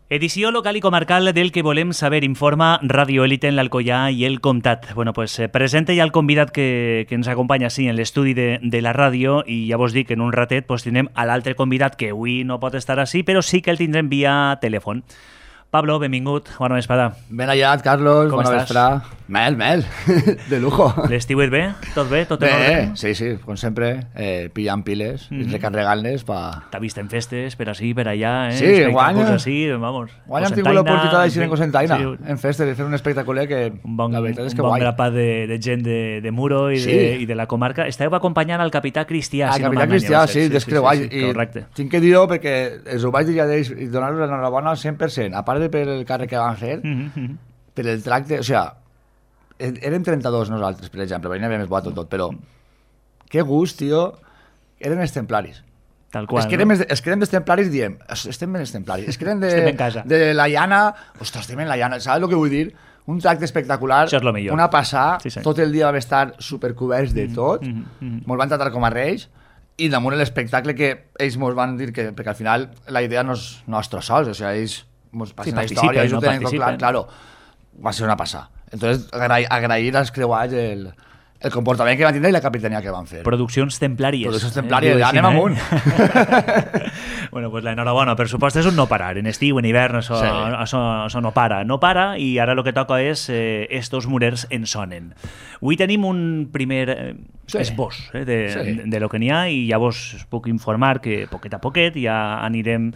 Edició local i comarcal del que volem saber, informa Radio Élite en l'Alcoià i el Comtat. Bueno, pues presenta ja el convidat que ens acompanya sí, en l'estudi de la ràdio i ja vos dic que en un ratet pues, tindrem a l'altre convidat que avui no pot estar així, però sí que el tindrem via telèfon. Pablo, benvingut, bona vesprada. Ben hallat, Carlos, com bona estàs? vesprada. Mel, de lujo. L'estiuet bé? Tot bé? Tot en ordre? Sí, com sempre, pillant piles i recarregant-les pa... T'ha vist en festes, per així, per allà, Sí, guanya. Així, vamos. Guanya hem tingut l'oportunitat d'aixir en Cosentaina, sí, en festes, de fer un espectacular que la veritat és que un bon guai. grapat de gent de Muro i, Sí. i de la comarca. Estàveu acompanyant el capità Cristià, El si no capità m'enganyeu. Cristià, sí, és que guai. Sí, correcte. I tinc que dir-ho perquè els ho vaig dir ja d'ells i donar-los l'enhorabona al 100%, a part de per el càrrec que van fer, per el tracte, o sigui, érem 32 nosaltres, per exemple, perquè n'hi havia més boato tot, però que gust, tio, eren els templaris. Tal qual, és que érem dels templaris, diem, estem ben els templaris, és que eren Estem en casa. de la llana, ostres, estem en la llana, saps el que vull dir? Un tracte espectacular, Això és lo millor. una passada, Sí, sí. tot el dia vam estar supercoberts de tot, mos van tratar com a reis, i damunt l'espectacle que ells mos van dir que, perquè al final la idea no és nostra sols, o sigui, ells mos passen la història, ells ho tenen tot clar, claro, va ser una passada. Entonces, agrair als creuats el comportament que van tindre i la capitania que van fer. Produccions templàries. Produccions templàries, ja anem amunt. Bueno, pues l'enhorabona, per supost és un no parar. En estiu, en hivern, això, Sí. això no para. No para i ara el que toca és estos murers en sonen. Avui tenim un primer Sí. esbós Sí. de lo que n'hi ha i ja vos puc informar que poquet a poquet ja anirem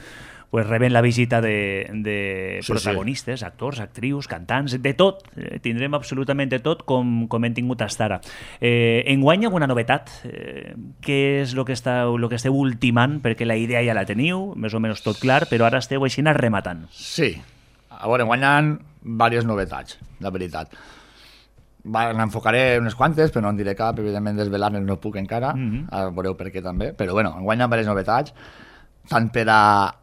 pues, rebent la visita de Sí, protagonistes, actors, actrius, cantants, de tot. Tindrem absolutament de tot com hem tingut fins ara. Enguany alguna novetat? Què és el que esteu ultimant? Perquè la idea ja la teniu, més o menys tot clar, però ara esteu així rematant. Sí. A veure, guanyen diverses novetats, la veritat. N'enfocaré unes quantes, però no en diré cap, evidentment desvelar-ne no puc encara, ara veureu per què també, però bueno, guanyen diverses novetats, tant per a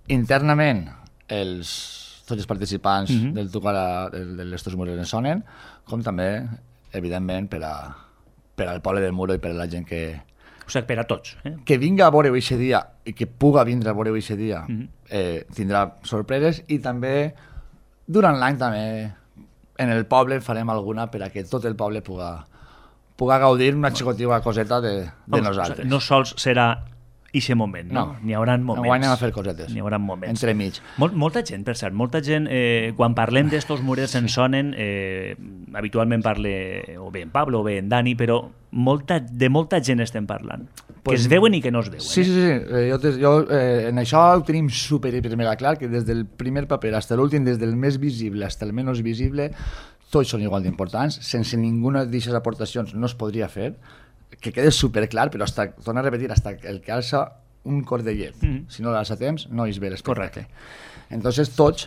internament tots els participants del Tocar de l'Estos Murers en Sonen, com també, evidentment, per al poble del Muro i per a la gent que Per a tots. que vinga a veure-ho aquest dia i que puga vindre a veure-ho aquest dia tindrà sorpreses i també durant l'any també en el poble farem alguna per a que tot el poble puga gaudir una xicotiva coseta de nosaltres. No sols serà ixe moment, no? N'hi haurà moments. Enguany anem a fer cosetes. N'hi haurà moments. Entremig. Molta gent, per cert, molta gent, quan parlem d'estos murers en sonen, habitualment parle o bé en Pablo o bé en Dani, però de molta gent estem parlant. Que es veuen i que no es veuen. Sí. Jo en això ho tenim super hiper mega clar, que des del primer paper fins a l'últim, des del més visible fins al menys visible, tots són igual d'importants. Sense ninguna d'aquestes aportacions no es podria fer. Que quede super clar, però torno a repetir, hasta el que alça un cordellet. Si no l'alça a temps, no és bé l'espectacle. Entonces, tots,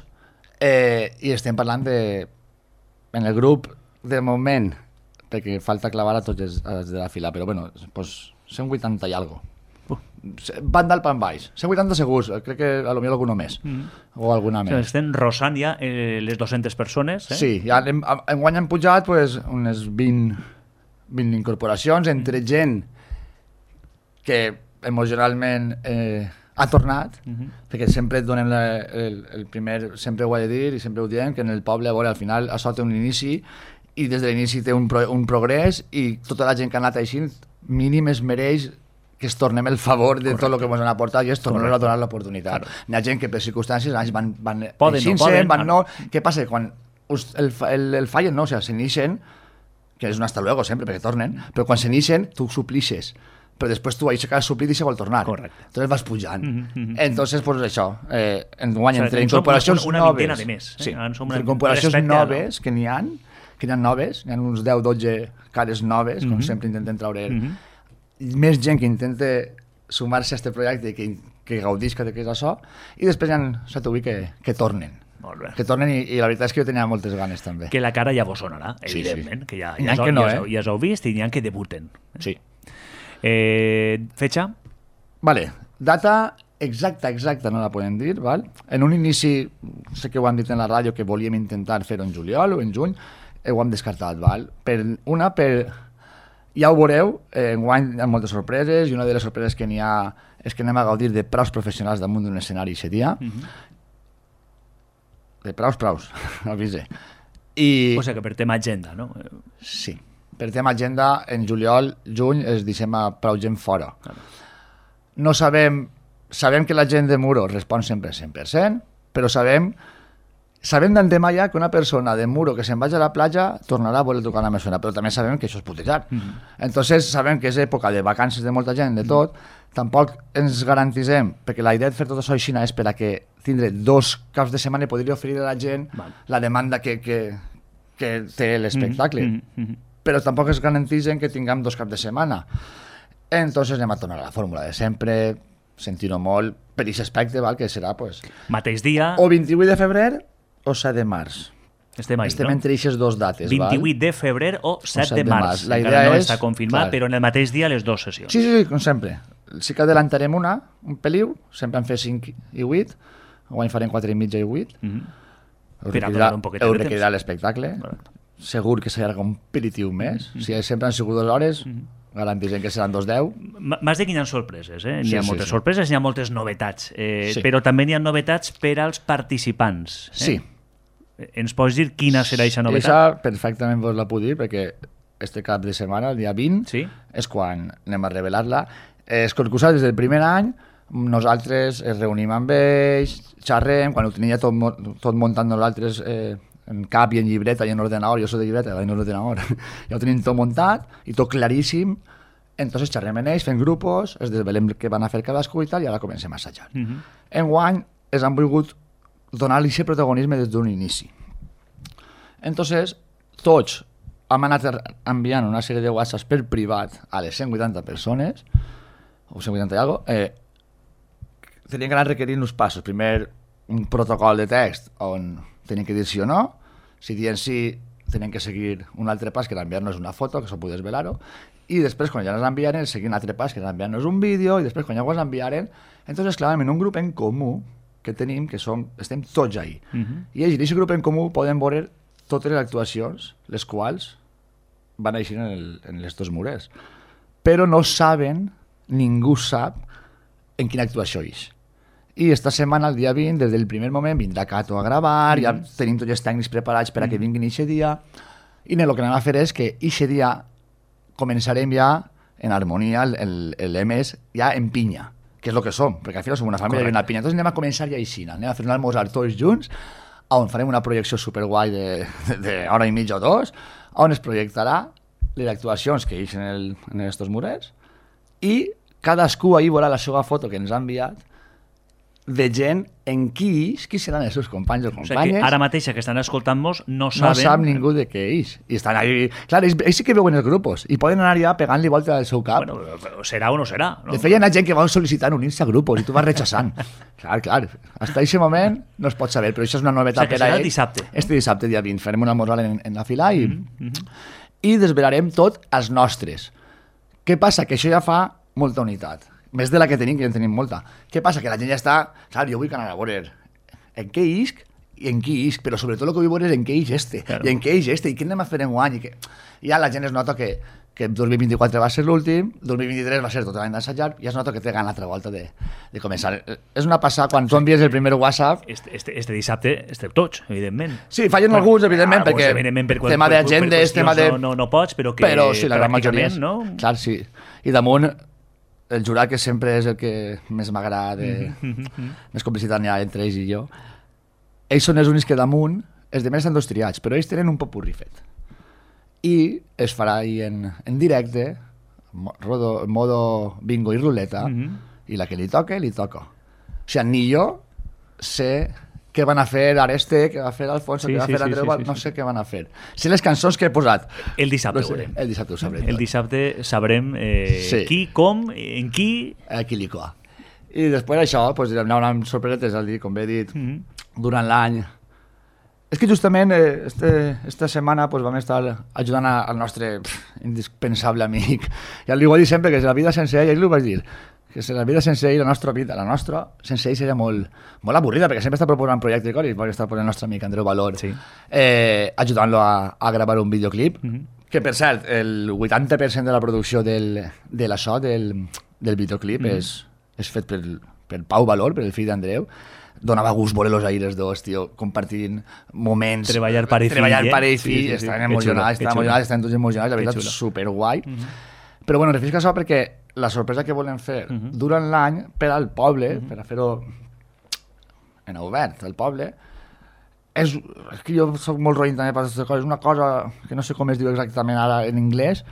i estem parlant en el grup, de moment, perquè falta clavar a tots els de la fila, però bueno, pues, 180 i algo. Van dalt pan baix. 180 segurs, crec que a lo millor alguna més. O alguna més. Estem rosant ja les 200 persones. Sí, ja enguany han pujat pues, unes 20 incorporacions entre gent que emocionalment ha tornat, perquè sempre et donem el primer, sempre ho he de dir i sempre ho diem, que en el poble a veure, al final això té un inici i des de l'inici té un progrés i tota la gent que ha anat així mínim es mereix que es tornem el favor de tot el que ens han aportat i és tornar a donar l'oportunitat. N'hi ha gent que per circumstàncies van no. Què passa? Quan el fallen, no, o sigui, s'inixen, que és un hasta luego sempre, perquè tornen, però quan s'inixen tu suplixes, però després tu aixeques suplir i se vol tornar. Correcte. Entonces vas pujant. Entonces, pues això, enguany entre incorporacions una noves, vintena de més. sí, entre incorporacions noves que n'hi ha noves, n'hi ha uns 10-12 cares noves, com sempre intentem traure més gent que intenta sumar-se a aquest projecte i que gaudisca de què és això, i després hi ha 7 o 8 que tornen. Que tornen i la veritat és que jo tenia moltes ganes també. Que la cara ja vos sonarà, evidentment, que ja us heu vist i n'hi ha que debuten. Sí. Fecha? Vale, data exacta no la podem dir, val? En un inici, sé que ho han dit en la ràdio que volíem intentar fer-ho en juliol o en juny, ho hem descartat, val? Ja ho veureu, enguany hi ha moltes sorpreses i una de les sorpreses que n'hi ha és que anem a gaudir de praus professionals damunt d'un escenari aquest dia de praus, avise. O sigui que per tema agenda, no? Sí. Per tema agenda, en juliol, juny, es deixem a prou gent fora. No sabem que la gent de Muro respon sempre 100%, però sabem d'antemà ja que una persona de Muro que se'n vagi a la platja tornarà a voler tocar la mesura, però també sabem que això és putejar. Entonces sabem que és època de vacances de molta gent, de tot, tampoc ens garantisem, perquè la idea de fer tot això així és per a que tindre 2 caps de setmana i podria oferir a la gent la demanda que té l'espectacle. Però tampoc es garanteixen que tinguem 2 caps de setmana. Entonces anem a tornar a la fórmula de sempre, sentir-ho molt per aquest aspecte, que serà mateix dia o 28 de febrer o 7 de març. Estem entre aquestes 2 dates. 28 de febrer o 7 de març. La idea no està confirmat, però en el mateix dia les 2 sessions. Sí, com sempre. Sí que adelantarem un peliu, sempre en fer 5 i 8, guany farem 4 i mitja i 8. Per a donar un poquet de temps. Requerirà l'espectacle. Segur que serà un pelitiu més. Si sempre han sigut 2 hores, garantirem que seran 2:10. M'has de que hi ha sorpreses, N'hi ha moltes sorpreses, n'hi ha moltes novetats, però també n'hi ha novetats per als participants. Sí. Ens pots dir quina serà aquesta novetat? Això perfectament vos la puc dir, perquè este cap de setmana, el dia 20, és quan anem a revelar-la. Els concursants des del primer any, nosaltres ens reunim amb ells, xerrem, quan ho tenia tot muntant nosaltres en cap i en llibreta i en ordenador, jo soc de llibreta, en ordenador, ja ho tenim tot muntat i tot claríssim, entonces xerrem en ells, fem grupos, es desvelem què van a fer cadascú i tal, i ara comencem a assajar. Enguany ens han volgut donar-li aquest protagonisme des d'un inici. Entonces, tots hem anat enviant una sèrie de whatsapps per privat a les 180 persones, o 180 i alguna cosa, tenien que anar requerint uns passos. Primer, un protocol de text on tenien que dir sí o no. Si diuen sí, tenien que seguir un altre pas, que era enviar-nos una foto, que això poder velar-ho, i després, quan ja ens enviaren, seguir un altre pas, que era enviar-nos un vídeo, i després, quan ja ho enviaren, entonces, clar, en un grup en comú que tenim, que estem tots ahí. I ells, en aquest grup en comú, poden veure totes les actuacions, les quals van així en les 2 mures. Però no saben, ningú sap, en quina actuació és. I esta setmana, el dia 20, des del primer moment, vindrà Cato a gravar, ja tenim tots els tècnics preparats per a que vinguin aquest dia, i el que anem a fer és que aquest dia començarem ja en harmonia, l'EMS, ja en pinya, que és el que som, perquè al final som una família i una pinya. Entonces anem a començar ja així, anem a fer un almorzar tots junts, on farem una projecció superguai d'hora i mitja o 2, on es projectarà les actuacions que hi ha en aquests murets, i cadascú ahir veurà la seva foto que ens ha enviat de gent en qui seran els seus companys o companyes. O sigui que ara mateix que estan escoltant-nos no saben... No sap ningú de què és. I estan ahí... Clar, ells sí que veuen els grupos i poden anar ja pegant-li volta al seu cap. Bueno, serà o no serà, no? De fet, hi ha gent que va sol·licitar unir-se a grupos i tu vas rechazant. Clar. Hasta aquest moment no es pot saber, però això és una novetat per a ells. Dissabte. Este dissabte, dia 20, farem un almorzar en la fila i desvelarem tot els nostres. Què passa? Que això ja fa molta unitat. Més de la que tenim, que ja en tenim molta. Què passa? Que la gent ja està... Clar, jo vull anar a veure en què isc i en qui isc, però sobretot el que vull veure és en què is este, i en què is este, i què anem a fer en guany. I ja la gent es nota que 2024 va ser l'últim, 2023 va ser tot l'any d'assajar, i es nota que té gana l'altra volta de començar. És una passada, quan tu envies el primer WhatsApp... Este dissabte estem tots, evidentment. Sí, fallen alguns, evidentment, perquè tema d'agendes, tema de... No pots, però que... Però sí, la gran majoria... No? Clar, sí. I damunt... El jurat, que sempre és el que més m'agrada, més complicitat n'hi ha entre ells i jo, ells són els únics que damunt, els demés estan 2 triats, però ells tenen un popurrí fet. I es farà ahir en directe, modo bingo i ruleta, i la que li toca. O sigui, ni jo sé què van a fer Areste, què va fer Alfonso, què va fer Andreu, no sé què van a fer. Sé les cançons que he posat. El dissabte ho veurem. El dissabte ho sabrem. El dissabte sabrem qui, com, en qui... Qui li coa. I després això, doncs, hi haurà unes sorpreses, com he dit, durant l'any. És que justament esta setmana vam estar ajudant al nostre indispensable amic. Ja li ho he dit sempre, que la vida sense ell, li ho vaig dir, que la vida sense ell, la nostra sense ell seria molt avorrida, perquè sempre està proposant projectes i perquè està posant el nostre amic Andreu Valor, ajudant-lo a gravar un videoclip, que per cert, el 80% de la producció del videoclip és fet per Pau Valor, per el fill d'Andreu. donava gust veure els aires dos, tio, compartint moments. Treballar pare i fill. Treballar pare i fill, estaven emocionats, estaven tots emocionats, la veritat, superguai. Però bueno, referisc a això perquè la sorpresa que volem fer durant l'any per al poble, per a fer-ho en obert al poble, és que jo soc molt roïn també per aquestes coses, una cosa que no sé com es diu exactament ara en anglès,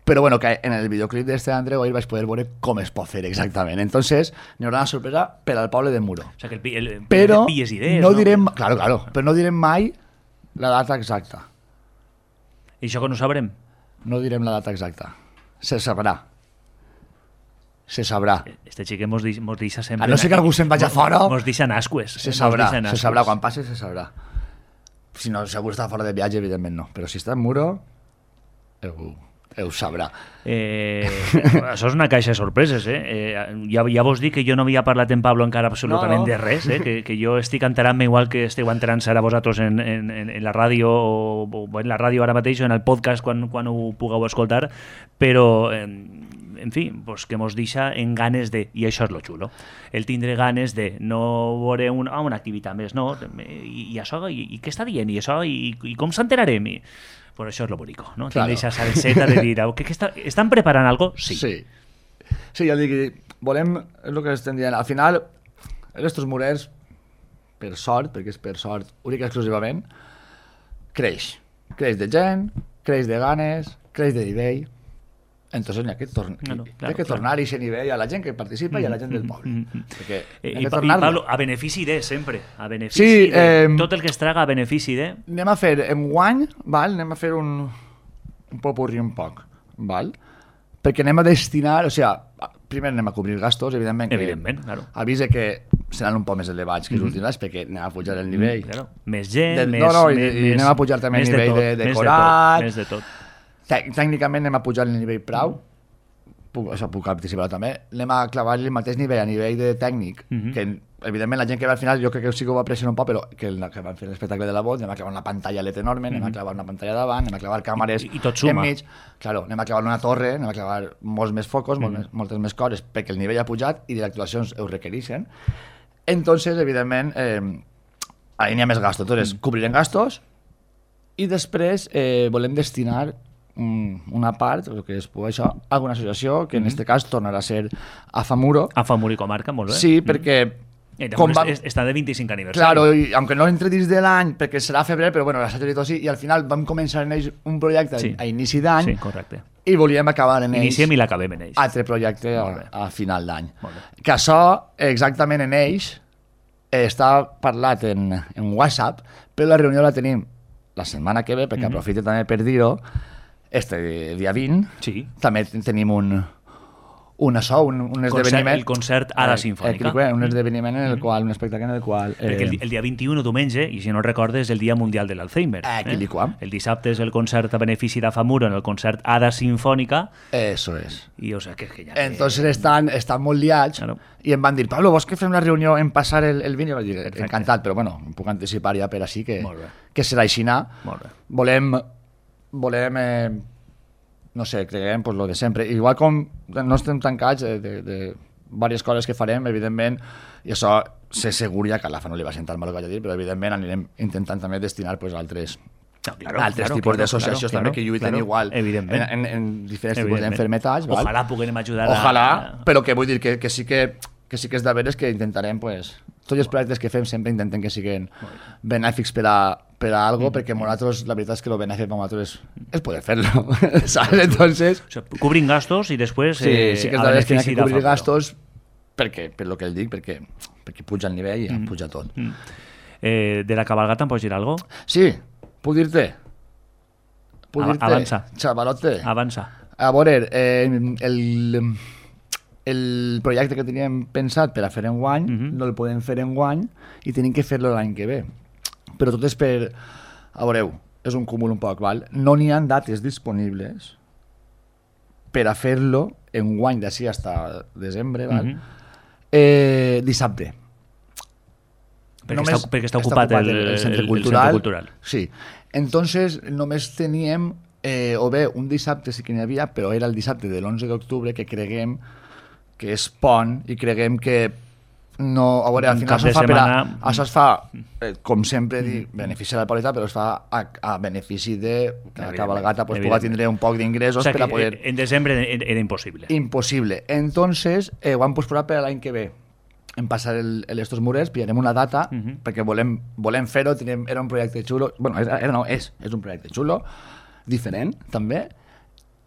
però bueno, que en el videoclip d'este Andreu ahir vaig poder veure com es pot fer exactament. Entonces, n'hi haurà una sorpresa per al poble de Muro. O sigui, que però pilles idees, no direm, claro, però no direm mai la data exacta. I això que no sabrem? No direm la data exacta. Se sabrà. Se sabrà. Este xic mos deixa sempre... A no ser que algú se'n vagi a fora... Mos deixa nasques. Se sabrà. Quan passi se sabrà. Si no, segur està fora de viatge, evidentment no. Però si està en Muro, ho sabrà. Això és una caixa de sorpreses, ja vos dic que jo no havia parlat en Pablo encara absolutament de res, que jo estic enterant-me igual que esteu enterant-se ara vosaltres en la ràdio o en la ràdio ara mateix o en el podcast quan ho pugueu escoltar, però en fi, pues que mos deixa en ganes de, i això és lo xulo, el tindre ganes de no veure una activitat més, no? I això, i què està dient? I això, i com s'enterarem? Pues això és lo bonico, ¿no? Claro. Tienes esa salseta de dir, ¿están preparant algo? Sí. Sí, ja dic, volem, és el que estem dient, al final, estos murers, per sort, perquè és per sort, únic i exclusivament, creix de gent, creix de ganes, creix de nivell, entonces n'hi ha que tornar a aquest nivell a la gent que participa i a la gent del poble. I Pablo, a benefici de, sempre. A benefici tot el que es traga a benefici de... Anem a fer enguany, anem a fer un popurri un poc, val? Perquè anem a destinar, o sigui, primer anem a cobrir gastos, evidentment, claro. Avisa que seran un poc més elevats que els últims anys, perquè anem a pujar el nivell. Claro. Més gent, i anem a pujar també el nivell de decorat. Més de tot. Tècnicament anem a pujar el nivell prou, puc participar també, anem a clavar el mateix nivell a nivell de tècnic, que evidentment la gent que va al final, jo crec que sí que ho va pressionar un poc, però que van fer l'espectacle de la vot, anem a clavar una pantalla LED enorme, anem a clavar una pantalla davant, anem a clavar càmeres i tot suma. enmig, claro, anem a clavar una torre, anem a clavar molts més focos, moltes més coses, perquè el nivell ha pujat i les actuacions ho requereixen. Entonces, evidentment, ahí n'hi ha més gastos. Entonces, cobrirem gastos i després volem destinar una part, el que es pugui això, a alguna associació, que en aquest cas tornarà a ser AFAMURO. AFAMURO i comarca, molt bé. Sí, perquè... Està de 25 aniversari. Claro, i aunque no entre dins de l'any, perquè serà a febrer, però bueno, i al final vam començar en ells un projecte a inici d'any. Sí, correcte. I volíem acabar en ells... Iniciem i l'acabem en ells. Altre projecte a final d'any. Que això, exactament en ells, està parlat en WhatsApp, però la reunió la tenim la setmana que ve, perquè aprofite també per dir-ho, dia 20, també tenim un esdeveniment... El concert a la Sinfònica. Un esdeveniment en el qual, un espectacle en el qual... Perquè el dia 21, diumenge, i si no recordes, és el Dia Mundial de l'Alzheimer. El dissabte és el concert a benefici d'AFAMURO en el concert Ada Sinfònica. Eso es. I o sea, que ja... Entonces estan molt liats i em van dir, Pablo, vols que fem la reunió en passar el 20? I vaig dir, encantat, però bueno, em puc anticipar ja per així que serà aixina. Volem no sé, creiem pues, lo de sempre. Igual com no estem tancats de diverses coses que farem, evidentment, i això sé segur ja que a l'AFA no li va sentar mal el que vaig a dir, però evidentment anirem intentant també destinar pues, altres tipus d'associacions també que lluiten igual en diferents tipus d'enfermetats. Ojalà puguem ajudar però que vull dir que sí que és de veres que intentarem pues, tots els projectes que fem sempre intenten que siguin benèfics per a algo, perquè nosaltres, la veritat és que el benèfic per nosaltres és poder fer-lo, ¿sabes? Entonces... Cobrin gastos i després... Sí que és de veres que hi ha que cobrir gastos per lo que el dic, perquè puja el nivell i puja tot. De la cabalgata em pots dir alguna cosa? Sí, puc dir-te. Avança. Xavalote. Avança. A veure, el projecte que teníem pensat per a fer enguany no el podem fer enguany i tenim que fer-lo l'any que ve, però tot és per, a veureu, és un cúmul un poc, val? No n'hi ha dates disponibles per a fer-lo enguany d'ací fins desembre, val? Dissabte, perquè està ocupat el centre cultural. Sí, entonces només teníem o bé un dissabte sí que n'hi havia, però era el dissabte de l'11 d'octubre, que creguem que és pont i creguem que no, a veure, al final això es fa, com sempre dic, benefici de la qualitat, però es fa a benefici de que la cabalgata pues, pugui tindre un poc d'ingressos per a poder... En desembre era impossible. Impossible. Entonces, ho hem posposat per l'any que ve. En passar estos murets, pillarem una data, perquè volem fer-ho, era un projecte xulo, bueno, és un projecte xulo, diferent, també,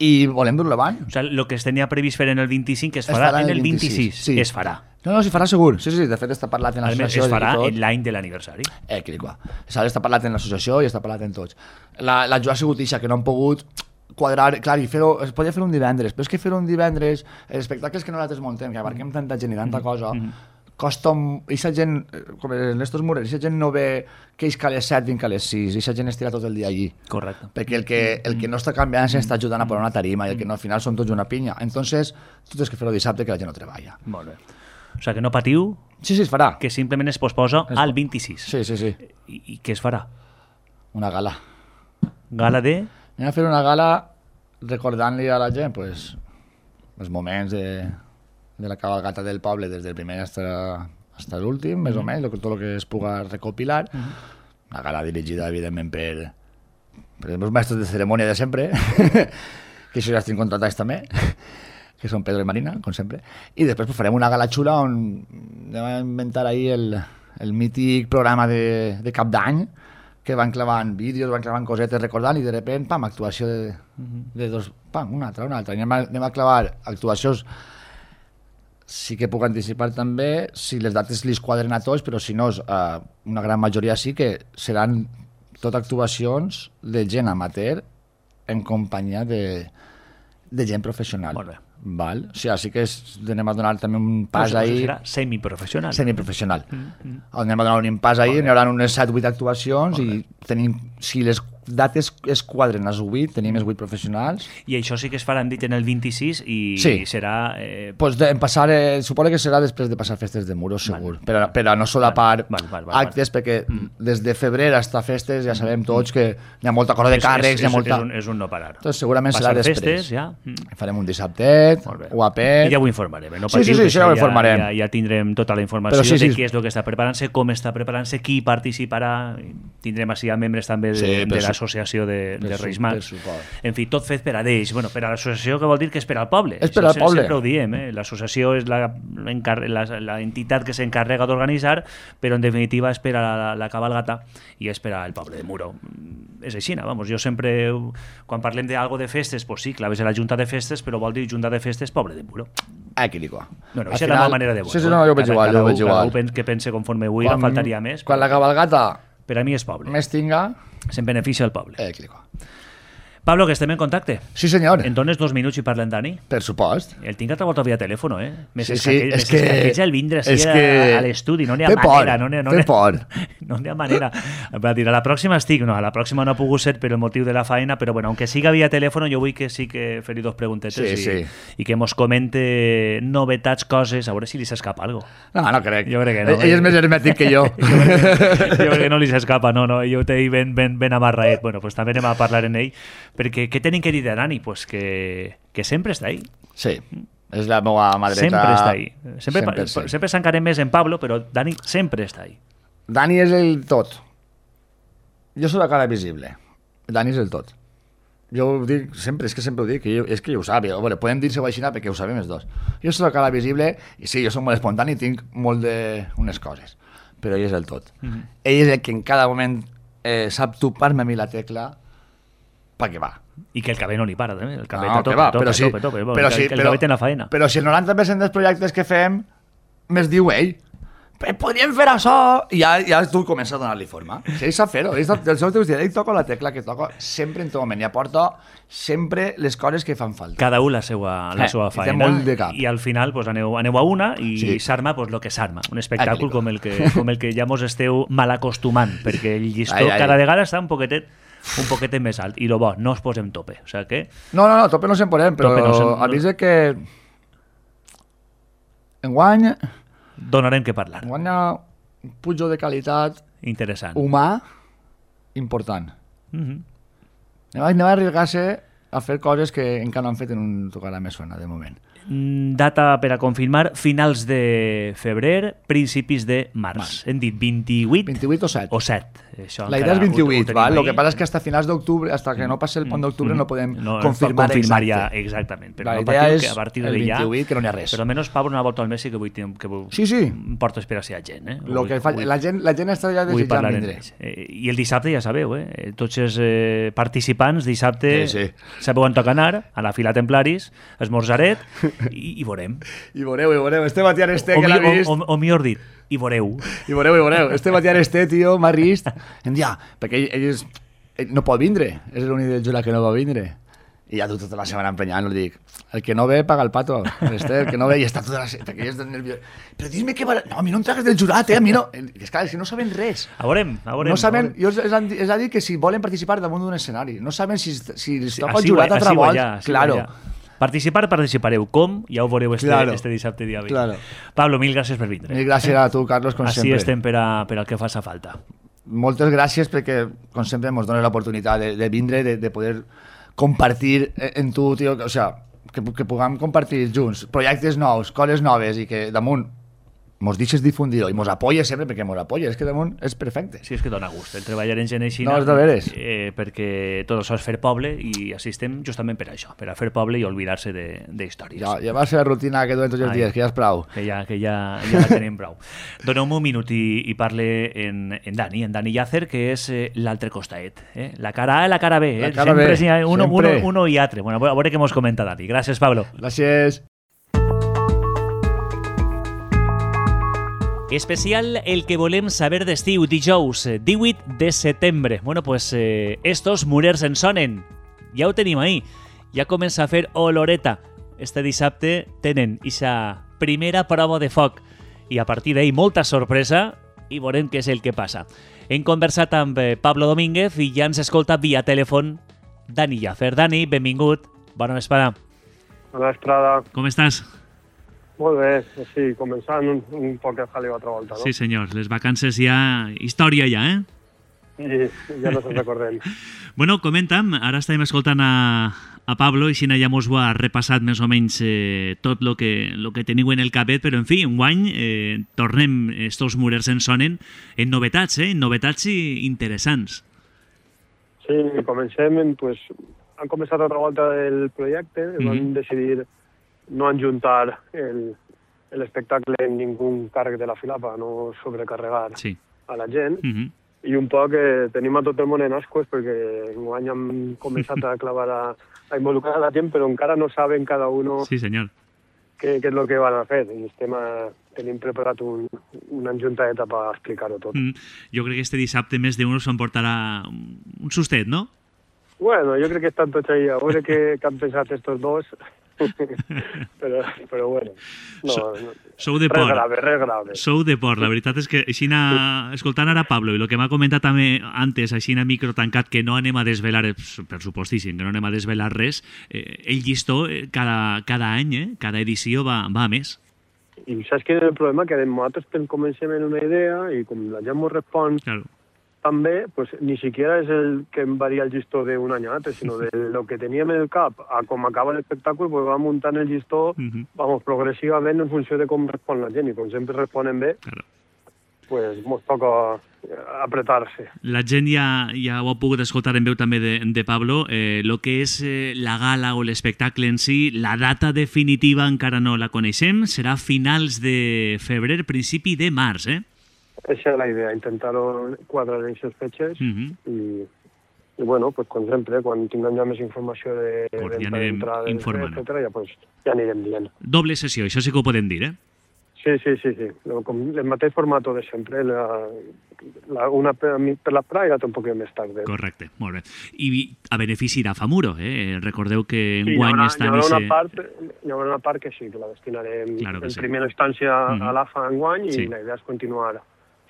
i volem dur-lo avant. O sigui, el que es tenia previst fer en el 25 es farà en el 26. Sí. Es farà. No, s'hi farà segur. Sí, de fet està parlat en l'associació. Es farà en l'any de l'aniversari. Està parlat en l'associació i està parlat en tots. La Joa ha sigut ixa, que no han pogut quadrar, clar, i fer-ho, es podia fer un divendres, però és que fer un divendres, els espectacles que nosaltres muntem, que abarquem tanta gent i tanta cosa, costa, aquesta gent, com en estos murets, aquesta gent no ve que ells que a les 7 vinc a les 6, aquesta gent estira tot el dia allí. Correcte. Perquè el que no està canviant s'està ajudant a posar una tarima i el que no, al final són tots una pinya. Entonces, tu tens que fer-ho dissabte que la gent no treballa. Molt bé. O sigui que no patiu. Sí, es farà. Que simplement es posposa al 26. Sí. I què es farà? Una gala. Gala de? Anem a fer una gala recordant-li a la gent pues, els moments de la cabalgata del poble des del primer fins l'últim, més o menys, tot el que es puga recopilar. Una gala dirigida, evidentment, per els meus mestres de cerimònia de sempre, que això ja estic contratats també, que són Pedro i Marina, com sempre. I després pues, farem una gala xula on anem a inventar ahí el mític programa de cap d'any, que van clavant vídeos, van clavant cosetes recordant i de repent, pam, actuació de dos, pam, una altra. Anem a clavar actuacions, sí que puc anticipar també, si les dates li quadren a tots, però si no, una gran majoria sí que seran tot actuacions de gent amateur en companyia de gent professional. Molt bé. Val? O sigui, sí que anem a donar també un pas ahí... Serà semiprofessional. Semiprofessional. Anem a donar un pas ahí, n'hi haurà unes 7-8 actuacions i tenim, si les dates es quadren les 8, tenim els 8 professionals. I això sí que es farà, hem dit, en el 26 i serà... Pues suposo que serà després de passar festes de Muros, segur, per a no solapar actes, perquè des de febrer fins a festes ja sabem tots que hi ha molta cosa de càrrecs, hi ha molta... És un no parar. Entonces segurament serà després. Festes, ja. Farem un dissabtet, guapet... I ja ho informarem, no patiu, sí, ja ho informarem. Ja tindrem tota la informació de què és el que està preparant-se, com està preparant-se, qui participarà, tindrem així a membres també de l'associació de Reis Mags. En fi, tot fet per a ells. Bueno, per a l'associació, que vol dir que és per al poble. És per al poble. Sempre ho diem, l'associació és la entitat que s'encarrega d'organitzar, però en definitiva és per a la cabalgata i és per al poble de Muro. És així, vamos, jo sempre, quan parlem d'algo de festes, pues sí, claves a la Junta de Festes, però vol dir Junta de Festes, poble de Muro. Aquí dic. No, això és la meva manera de veure. Sí, no, jo veig igual. Cada un que pense conforme vull, faltaria més. Quan la cabalgata per a mi és poble. Més tinga... Se'n beneficia el poble. Pablo, que estem en contacte. Sí, senyor. En dones 2 minuts i parlem Dani? Per supost. El tinc altre volta via telèfon, Més sí, és que el vindre així a l'estudi, no n'hi ha manera. Té por. No n'hi ha manera. Va dir, a la pròxima estic, a la pròxima no ha pogut ser per el motiu de la feina, però bueno, aunque siga via telèfon, jo vull que sí que fer-hi 2 preguntetes i que mos comente novetats, coses, a veure si li s'escapa algo. No crec. Jo crec que no. Ell és més hermètic que jo. Jo crec que no li s'escapa, no. Jo t'he ben amarraet. Bueno, pues també anem a parlar en ell, perquè què tenim que dir de Dani? Pues que sempre està ahí. Sí, és la meva mà dreta. Sempre està ahí. Sempre s'encarem més en Pablo, però Dani sempre està ahí. Dani és el tot. Jo soc la cara visible. Dani és el tot. Jo ho dic sempre, és que sempre ho dic, és que jo ho sap. Bueno, podem dir-se-ho així perquè ho sabem els dos. Jo soc la cara visible i sí, jo soc molt espontani i tinc molt d'unes coses, però ell és el tot. Ell és el que en cada moment sap topar-me a mi la tecla perquè va. I que el cabell no li para, també. El cabell tope. El cabell té la feina. Però si el 90% dels projectes que fem més diu ell, podríem fer això, i ja tu comences a donar-li forma. Si ell sap fer-ho, ell toca la tecla que toca sempre en tot moment i aporta sempre les coses que fan falta. Cada un la seva feina. Té molt de cap. I al final pues, aneu a una i s'arma pues, lo que s'arma. Un espectacle com el que ja mos esteu mal acostumant, perquè el llistó cada vegada està un poquetet més alt. I lo bo, no es posem tope. O sea que... No, tope no se'n posem, però avisa que enguany... Donarem que parlar. Enguany hi ha un pujo de qualitat interessant. Humà important. Anem a arriesgar-se a fer coses que encara no han fet en un tocarà més sona, de moment. Data per a confirmar, finals de febrer, principis de març. Hem dit 28? 28 o 7. O 7. Això la idea és 28, val? Lo que passa és que hasta finals d'octubre, hasta que no passi el pont d'octubre, no podem confirmar exacte. Ja, exactament. Però la idea és a partir el 28, ja, que no n'hi ha res. Però almenys, Pablo, una volta al mes sí que vull porto esperació a gent. Lo que la gent està ja desitjant vindre. I el dissabte ja sabeu, tots els participants dissabte sabeu on toca anar, a la fila Templaris, esmorzaret, i veurem. I veureu. Este Matiar Este que l'ha vist... O millor dit, i veureu. I veureu. Este Matiar Este, tio, m'ha rist. Perquè ell no pot vindre. És l'únic del jurat que no va vindre. I ja tota la setmana emprenyant, li dic, el que no ve paga el pato. El que no ve i està tota la setmana, perquè és nerviós. Però dime que... No, a mi no em tragues del jurat, a mi no... És clar, és que no saben res. A veurem. No saben... És a dir que si volen participar damunt d'un escenari, no saben si es toca el jurat altra volta. Claro. Participareu. Com? Ja ho veureu este dissabte dia 20. Claro. Pablo, mil gràcies per vindre. Mil gràcies a tu, Carlos, com sempre. Així estem per al que faça falta. Moltes gràcies perquè, com sempre, ens dones l'oportunitat de vindre, de poder compartir en tu, tio, o sea, que puguem compartir junts projectes nous, coses noves i que damunt mos deixes difundir-ho i mos apoyes sempre perquè mos apoyes, és que damunt és perfecte. Sí, és que dona gust el treballar en gent així, no, és de veres. Perquè tot això és fer poble i assistem justament per això, per a fer poble i oblidar-se d'històries. Ja va ser la rutina que duem tots els dies, que ja és prou. Que ja la tenim prou. Doneu-me un minut i parle en Dani Llàcer, que és l'altre costaet. La cara A i la cara B. La cara B, sempre. Uno i altre. Bueno, a veure què mos comenta Dani. Gràcies, Pablo. Gràcies. Especial el que volem saber d'estiu, dijous 18 de setembre. Bueno, pues estos murers en sonen. Ja ho tenim ahí. Ja comença a fer oloreta. Este dissabte tenen ixa primera prova de foc. I a partir d'ahí molta sorpresa i veurem què és el que passa. Hem conversat amb Pablo Domínguez i ja ens escolta via telèfon Dani Llàcer. Dani, benvingut. Bona vesprada. Bona vesprada. Com estàs? Molt bé, sí, començant un poc a jaleo altra volta, no? Sí, senyor, les vacances ja... Història ja, I ja no se'n recordem. Bueno, comenta'm, ara estàvem escoltant a Pablo i Xina ja mos ho ha repassat més o menys tot lo que teniu en el capet, però en fi, enguany tornem estos murers en sonen en novetats, en novetats interessants. Sí, comencem, pues, han començat altra volta el projecte, van decidir no enjuntar l'espectacle en ningú càrrec de la fila per no sobrecarregar a la gent. I un poc tenim a tot el món en ascues perquè enguany hem començat a clavar a involucrar a la gent, però encara no saben cada un què és el que van a fer. I tenim preparat una enjuntadeta per explicar-ho tot. Jo crec que este dissabte més d'un s'emportarà un sustet, no? Bueno, jo crec que estan tots ahí a veure què han pensat estos dos. però bueno, sou de por. Res grave. Sou de por. La veritat és que així escoltant ara Pablo i el que m'ha comentat també antes, així a micro tancat, que no anem a desvelar, per supostíssim, que no anem a desvelar res, el llistó cada any, cada edició va a més. I saps quin és el problema? Que nosaltres comencem en una idea i com la gent ens respon també, pues, ni siquiera és el que em varia el llistó d'un any a l'altre, sinó de lo que teníem en el cap a com acaba l'espectacle, pues vam muntant el llistó progressivament en funció de com respon la gent, i com sempre responen bé, pues mos toca apretar-se. La gent ja ho ha pogut escoltar en veu també de Pablo, lo que és la gala o l'espectacle en si, la data definitiva encara no la coneixem, serà finals de febrer, principi de març, Esa és la idea, intentar-ho quadrar en aquestes fetges i bueno, pues com sempre, quan tinguem ja més informació de venda d'entrades, etcètera, ja anirem dient. Doble sessió, això sí que ho podem dir, Sí. Com el mateix format de sempre, una per l'esprà i l'altra un poc més tard. Correcte, molt bé. I a benefici d'Afamuro, recordeu que enguany està... Hi haurà una part que sí, que la destinarem en primera instància a l'AFA enguany i la idea és continuar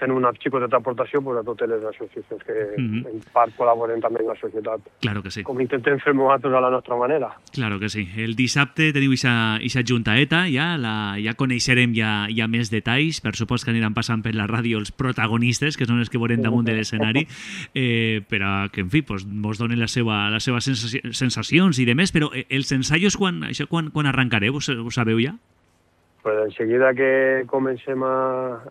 fent una xicoteta aportació pues, a totes les associacions que en part col·laboren també en la societat. Claro que sí. Com intentem fer nosaltres a la nostra manera. Claro que sí. El dissabte teniu ixa juntaeta, ja coneixerem ja més detalls, per supòs que aniran passant per la ràdio els protagonistes, que són els que veurem damunt de l'escenari, per a que, en fi, vos donen les seves sensacions i demés, però els ensaios quan arrencareu, ho sabeu ja? Pues enseguida que comencem a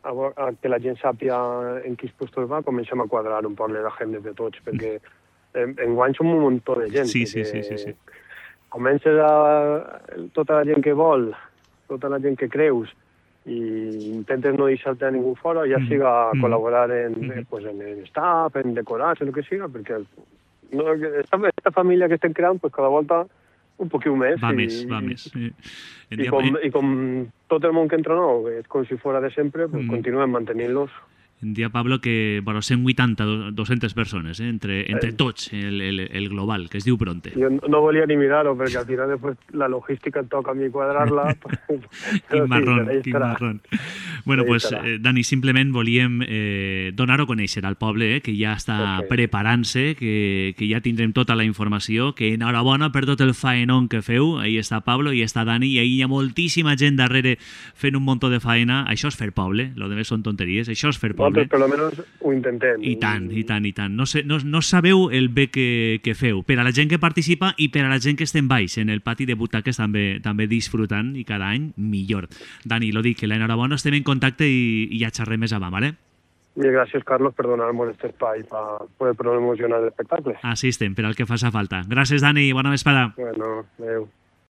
que la gent sàpia en quins puestos va, comencem a quadrar un poc les agendes de tots, perquè enguany som un muntó de gent. Sí. Comences tota la gent que vol, tota la gent que creus, i intentes no deixar-te a ningú fora, ja siga col·laborar en staff, en decorats, en el que siga, perquè esta família que estem creant, pues cada volta un poquiu més. Va més. Sí. I com tot el món que entra nou, és com si fora de sempre, pues continuem mantenint-los. Em dia Pablo que 180, 200 persones, entre tots, el global, que es diu Bronte. Jo no volia ni mirar-ho, perquè al final després la logística et toca a mi quadrar-la. Quin marrón. Bueno, pues, Dani, simplement volíem donar-ho a conèixer al poble, que ja està preparant-se, que ja tindrem tota la informació, que enhorabona per tot el faenón que feu. Ahí està Pablo, i està Dani, i ahí hi ha moltíssima gent darrere fent un muntó de faena. Això és fer poble, lo demés són tonteries, això és fer poble. Nosaltres per almenys ho intentem. I tant. No sabeu el bé que feu, per a la gent que participa i per a la gent que estem baix, en el pati de butaques també disfrutant, i cada any millor. Dani, lo dic, que l'enhorabona, estem en contacte i ja xerrem més avant, ¿vale? I gràcies, Carlos, per donar-nos aquest espai per poder promocionar l'espectacle. Així estem, per al que faci falta. Gràcies, Dani, bona vesprada. Bueno, adeu.